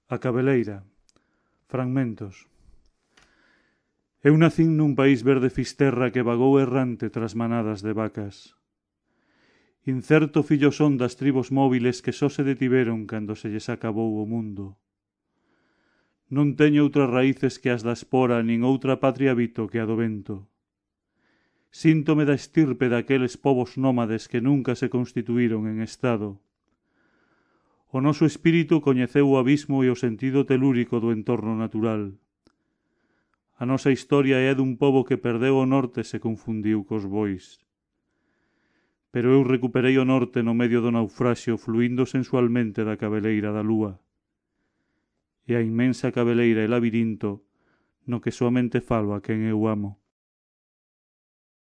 A Cabeleira. Fragmentos. Eu nacín nun país verde fisterra que vagou errante tras manadas de vacas. Incerto fillo son das tribos móviles que só se detiveron cando se lles acabou o mundo. Non teño outras raíces que as da espora, nin outra patria habito que a do vento. Síntome da estirpe daqueles povos nómades que nunca se constituíron en estado. O noso espírito coñeceu o abismo e o sentido telúrico do entorno natural. A nosa historia é dun pobo que perdeu o norte e se confundiu cos bois. Pero eu recuperei o norte no medio do naufraxio, fluindo sensualmente da cabeleira da lúa. E a inmensa cabeleira e labirinto no que soamente falo a quen eu amo.